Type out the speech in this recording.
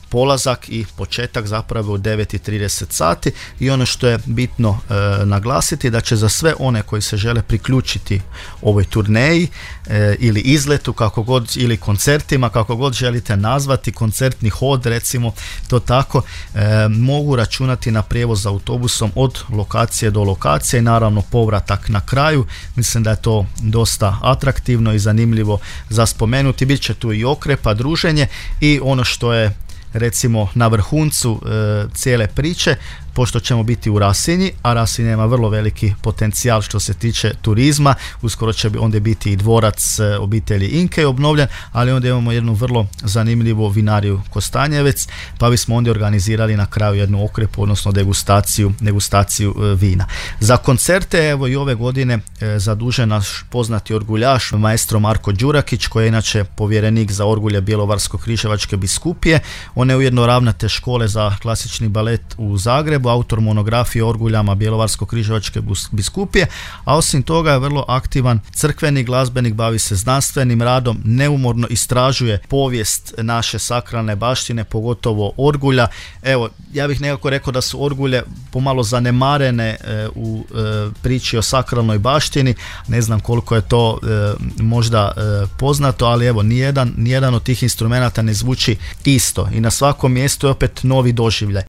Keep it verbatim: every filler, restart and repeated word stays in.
polazak i početak zapravo u devet i trideset sati i ono što je bitno e, naglasiti da će za sve one koji se žele priključiti ovoj turneji e, ili izletu kako god ili koncertima kako god želite nazvati, koncertni hod recimo to tako, e, mogu računati na prijevoz autobusom od lokacije do lokacije i naravno povratak na kraju. Mislim da je to dosta atraktivno i zanimljivo za spomenuti. Bit će tu i okrepa, druženje i ono što je recimo na vrhuncu e, cijele priče, pošto ćemo biti u Rasinji, a Rasinja ima vrlo veliki potencijal što se tiče turizma, uskoro će onda biti i dvorac e, obitelji Inkej obnovljen, ali onda imamo jednu vrlo zanimljivu vinariju Kostanjevec, pa bismo onda organizirali na kraju jednu okrepu, odnosno degustaciju, degustaciju e, vina. Za koncerte, evo i ove godine e, zadužen naš poznati orguljaš, maestro Marko Đurakić, koji je inače povjerenik za orgulje Bjelovarsko-križevačke biskupije. On je ujedno ravnatelj škole za klasični balet u Zagrebu, autor monografije o orguljama Bjelovarsko-križevačke biskupije, a osim toga je vrlo aktivan crkveni glazbenik, bavi se znanstvenim radom, neumorno istražuje povijest naše sakralne baštine, pogotovo orgulja. Evo, ja bih nekako rekao da su orgulje pomalo zanemarene e, u e, priči o sakralnoj baštini, ne znam koliko je to e, možda e, poznato, ali evo, nijedan, nijedan od tih instrumenata ne zvuči isto i na svakom mjestu je opet novi doživljaj.